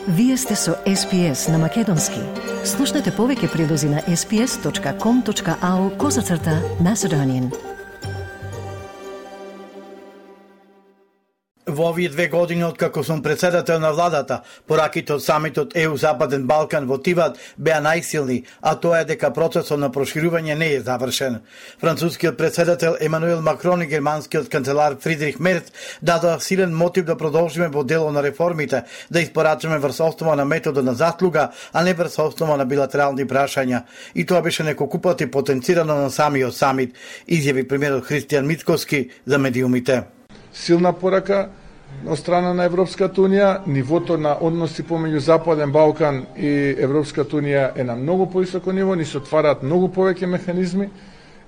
Вие сте со SPS на Македонски. Слушнете повеќе прилози на sps.com.au/Macedonian. Во овие 2 години откако сум председател на владата, пораките од самитот ЕУ Западен Балкан во Тиват беа најсилни, а тоа е дека процесот на проширување не е завршен. Францускиот председател Емануел Макрон и германскиот канцелар Фридрих Мерц дадоа силен мотив да продолжиме во дело на реформите, да испорачаме врз основа на метода на заслуга, а не врз основа на билатерални прашања. И тоа беше неколку пати потенцирано на самиот самит, изјави премиерот Христијан Мицкоски за медиумите. Силна порака од страна на Европската Унија, нивото на односи помеѓу Западен Балкан и Европската Унија е на многу повисоко ниво, ни се отвараат многу повеќе механизми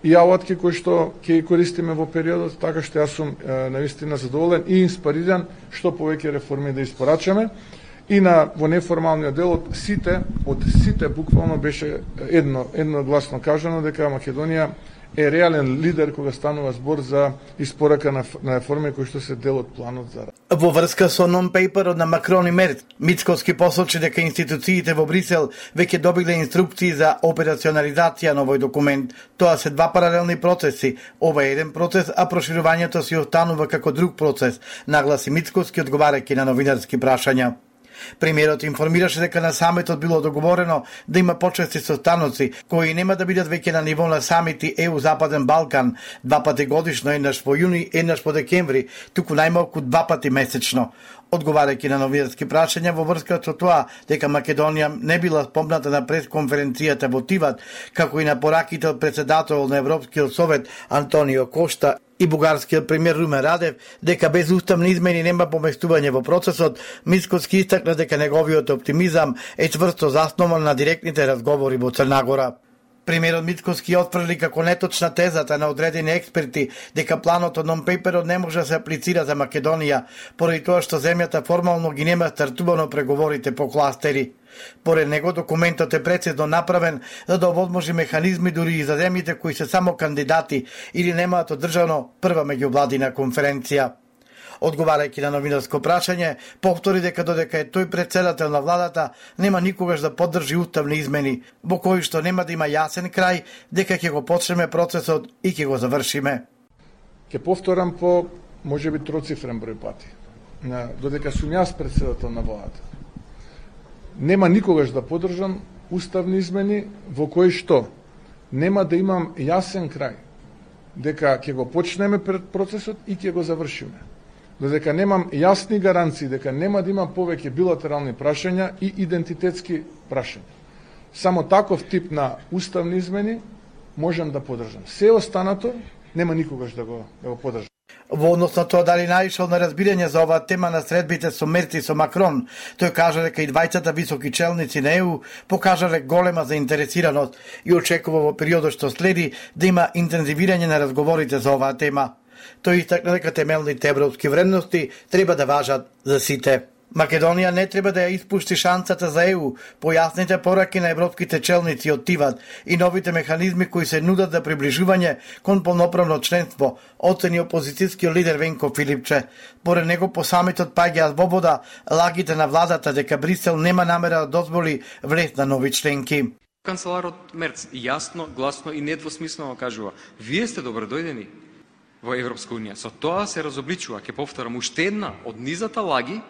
и алатки кои што ќе ги користиме во периодот, така што јас сум навистина задоволен и инспириран што повеќе реформи да испорачаме. И во неформалниот дел од сите буквално беше едногласно кажано дека Македонија е реален лидер кога станува збор за испорака на реформи кои што се дел од планот за работа. Во врска со нон-пейперот на Макрон и Мерц, Мицкоски посочи дека институциите во Брисел веќе добиле инструкции за операционализација на овој документ. Тоа се 2 паралелни процеси. Ова е еден процес, а проширувањето си останува како друг процес, нагласи Мицкоски одговарајќи на новинарски прашања. Премиерот информираше дека на самитот било договорено да има почести состаноци кои нема да бидат веќе на ниво на самити ЕУ Западен Балкан 2 пати годишно, еднаш во јуни, еднаш во декември, туку најмалку 2 пати месечно. Одговарајќи на новинарски прашања во врска со тоа дека Македонија не била спомната на пресконференцијата во Тиват, како и на пораките од председател на Европскиот совет Антонио Кошта и бугарскиот премиер Румен Радев, дека без уставни измени нема поместување во процесот, Мицкоски истакна дека неговиот оптимизам е чврсто заснован на директните разговори во Црна Гора. Премиерот Мицкоски отфрли како неточна тезата на одредени експерти дека планот од нон-пейперот не може да се аплицира за Македонија, поради тоа што земјата формално ги нема стартувано преговорите по кластери. Поред него документот е прецизно направен за да овозможи механизми дури и за земјите кои се само кандидати или немаат одржано прва меѓувладина конференција. Одговарајќи на новинарско прашање, повтори дека додека е тој председател на владата, нема никогаш да поддржи уставни измени, во кои што нема да има јасен крај, дека ќе го почнеме процесот и ќе го завршиме. Ќе повторам по можеби троцифрен број пати. Додека сум јас председател на владата, нема никогаш да поддржам уставни измени во кои што нема да имам јасен крај, дека ќе го почнеме процесот и ќе го завршиме. Додека немам јасни гаранции дека нема да има повеќе билатерални прашања и идентитетски прашања. Само таков тип на уставни измени можам да поддржам. Се останато нема никогаш да го поддржам. Во однос на тоа дали наишол на разбирање за оваа тема на средбите со Мерц и со Макрон, тој кажа дека и двајцата високи челници на ЕУ покажале голема заинтересираност и очекува во периодот што следи да има интензивирање на разговорите за оваа тема. Тој истакна дека темелните европски вредности треба да важат за сите. Македонија не треба да ја испушти шансата за ЕУ, појасните пораки на европските челници од Тиват и новите механизми кои се нудат за приближување кон полноправно членство, оцени опозицијскиот лидер Венко Филипче. Поред него по самитот паѓаат во вода лагите на владата дека Брисел нема намера да дозволи влез на нови членки. Канцеларот Мерц јасно, гласно и недвосмислено кажува: вие сте добродојдени во Европска Унија. Со тоа се разобличува, ќе повторам, уште една од низата лаги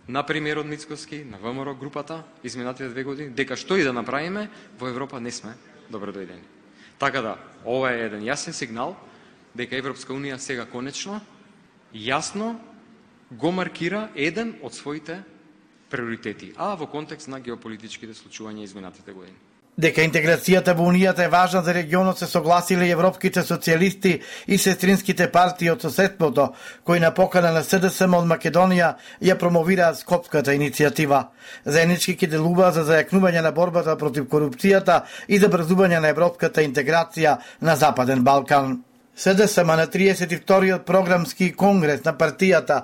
на премиерот Мицкоски, на ВМРО групата, изминатите 2 години, дека што и да направиме, во Европа не сме добродојдени. Така да, ова е еден јасен сигнал дека Европска Унија сега конечно, јасно го маркира еден од своите приоритети, а во контекст на геополитичките случувања изминатите години. Дека интеграцијата во Унијата е важна за регионот се согласиле и европските социјалисти и сестринските партии од соседството, кои на покана на СДСМ од Македонија ја промовираат скопската иницијатива. Заеднички ќе делуваат за зајакнување на борбата против корупцијата и за брзување на европската интеграција на Западен Балкан. СДСМ на 32-иот програмски конгрес на партијата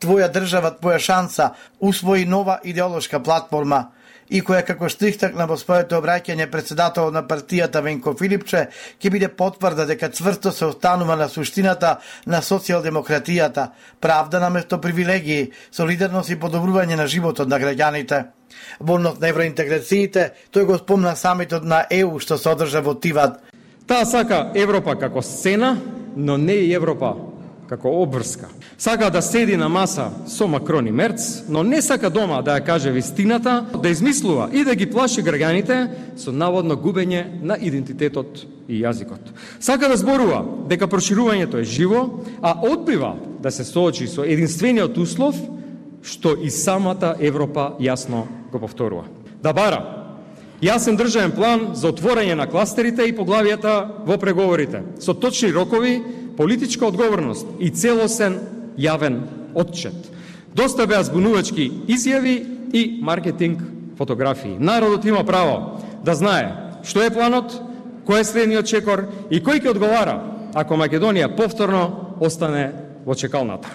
Твоја држава, твоја шанса усвои нова идеолошка платформа. и која како што истакна во своето обраќање председател на партијата Венко Филипче ќе биде потврда дека цврсто се останува на суштината на социјалдемократијата, правда наместо привилегии, солидарност и подобрување на животот на граѓаните. Во однос на евроинтеграциите, тој го спомна самитот на ЕУ што се одржа во Тиват. Таа сака Европа како сцена, но не и Европа како обврска. Сака да седи на маса со Макрон и Мерц, но не сака дома да ја каже вистината, да измислува и да ги плаши граѓаните со наводно губење на идентитетот и јазикот. Сака да зборува дека проширувањето е живо, а одбива да се соочи со единствениот услов што и самата Европа јасно го повторува. Да бара јасен државен план за отворање на кластерите и поглавијата во преговорите, со точни рокови, политичка одговорност и целосен јавен отчет. Доста беа збунувачки изјави и маркетинг фотографии. Народот има право да знае што е планот, кој е следниот чекор и кој ќе одговара ако Македонија повторно остане во чекалната.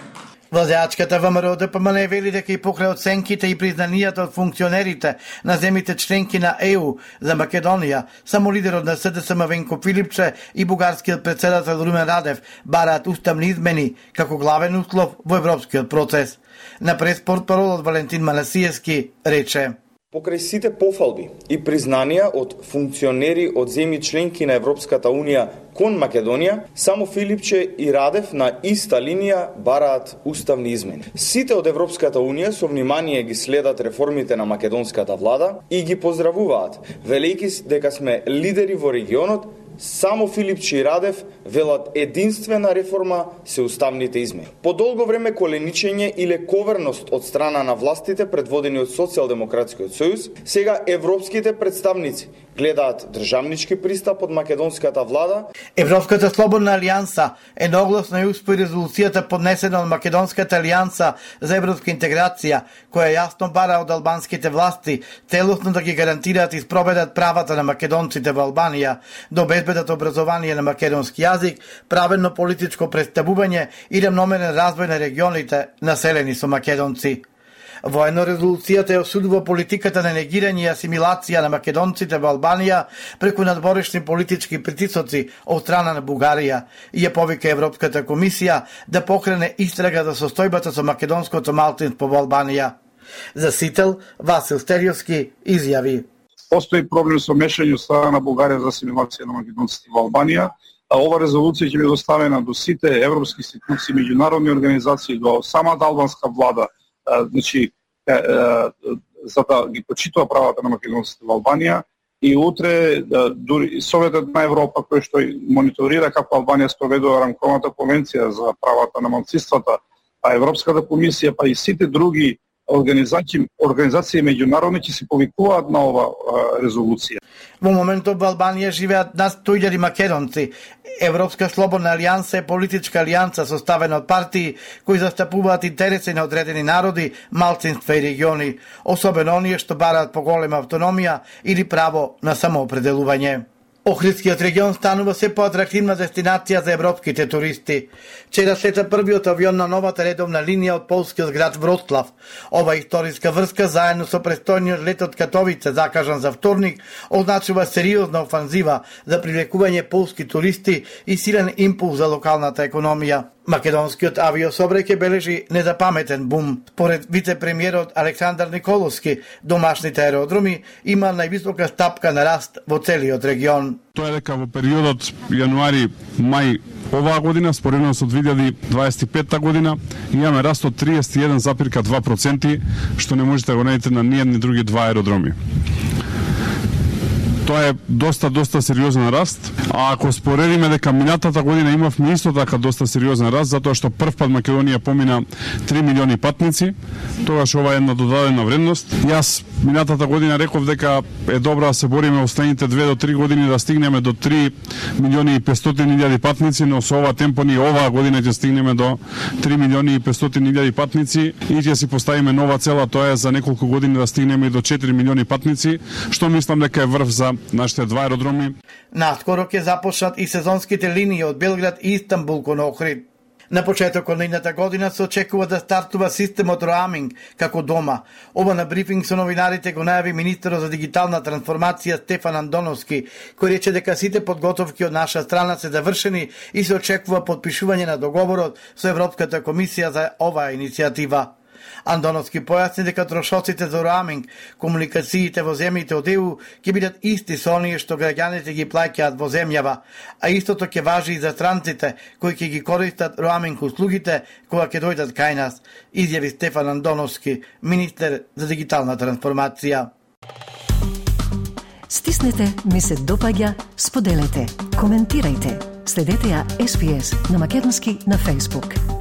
Владеачката ВМРО ДПМН вели дека и покрај оценките и признанијата од функционерите на земите членки на ЕУ за Македонија, само лидерот на СДСМ Венко Филипче и бугарскиот председател Румен Радев бараат уставни измени како главен услов во европскиот процес. На преспортпаролот Валентин Манасиевски рече: Покрај сите пофалби и признанија од функционери од земји членки на Европската Унија кон Македонија, само Филипче и Радев на иста линија бараат уставни измени. Сите од Европската Унија со внимание ги следат реформите на македонската влада и ги поздравуваат, велејќи дека сме лидери во регионот. Само Филипче и Радев велат единствена реформа се уставните измени. По долго време коленичење и лековерност од страна на властите предводени од Социјалдемократскиот сојуз, сега европските представници гледаат државнички пристап од македонската влада. Европската слободна алијанса едногласно ја успои резолуцијата поднесена од Македонската алијанса за европска интеграција, која јасно бара од албанските власти целосно да ги гарантираат и спроведат правата на македонците во Албанија, да обезбедат образование на македонски јазик, правилно политичко претставување и рамномерен развој на регионите населени со македонци. Воено резолуцијата ја осудува политиката на негирање и асимилација на македонците во Албанија преку надворешни политички притисоци од страна на Бугарија и ја повика Европската комисија да покрене истрага за состојбата со македонското малцинство во Албанија. За Сител, Васил Стериовски изјави: Постои проблем со мешање од страна на Бугарија за асимилација на македонците во Албанија, а ова резолуција ќе биде доставена до сите европски институции, меѓународни организации, до самата албанска влада, значи за да ги почитува правата на македонците во Албанија, и утре дури Советот на Европа кој што мониторира како Албанија спроведува рамковата конвенција за правата на малцинствата, а Европската комисија па и сите други организации меѓународни ќе се повикуваат на ова резолуција. Во моментот во Албанија живеат над 100.000 македонци. Европска слободна алијанса е политичка алијанса составена од партии кои застапуваат интереси на одредени народи, малцинства и региони, особено оние што бараат поголема автономија или право на самоопределување. Охридскиот регион станува се поатрактивна дестинација за европските туристи. Вчера слета првиот авион на новата редовна линија од полскиот град Вроцлав. Ова историска врска заедно со престојниот лет од Катовице закажан за вторник означува сериозна офанзива за привлекување полски туристи и силен импулс за локалната економија. Македонскиот авиособраќај бележи незапаметен бум. Според вице-премиерот Александар Николовски, домашните аеродроми има највисока стапка на раст во целиот регион. Тоа е дека во периодот јануари-мај оваа година, споредно со 2025 година, имаме раст од 31,2%, што не можете да го најдете на ниедни други два аеродроми. Тоа е доста сериозен раст, а ако споредиме дека минатата година имавме исто така доста сериозен раст, затоа што првпат Македонија помина 3 милиони патници, тогаш ова е една додадена вредност. Јас минатата година реков дека е добро да се бориме во следните 2 до 3 години да стигнеме до 3 милиони и 500 илјади патници, но со ова темпо ни оваа година ќе стигнеме до 3 милиони и 500 илјади патници и ќе си поставиме нова цела, тоа е за неколку години да стигнеме и до 4 милиони патници, што мислам дека е врв за нашите два аеродроми. Наскоро ќе започнат и сезонските линии од Белград и Истанбул кон Охрид. На почетокот на идната година се очекува да стартува системот роаминг како дома. Ова на брифинг со новинарите го најави министерот за дигитална трансформација Стефан Андоновски, кој рече дека сите подготовки од наша страна се завршени и се очекува подпишување на договорот со Европската комисија за оваа иницијатива. Андоновски појасни дека трошоците за роаминг, комуникациите во земјите од ЕУ ќе бидат исти со оние што граѓаните ги плаќаат во земјава, а истото ќе важи и за странците кои ќе ги користат роаминг услугите кога ќе дојдат кај нас, изјави Стефан Андоновски, министер за дигитална трансформација. Стиснете, ми се допаѓа, споделете, коментирајте. Следете ја SPS на македонски на Facebook.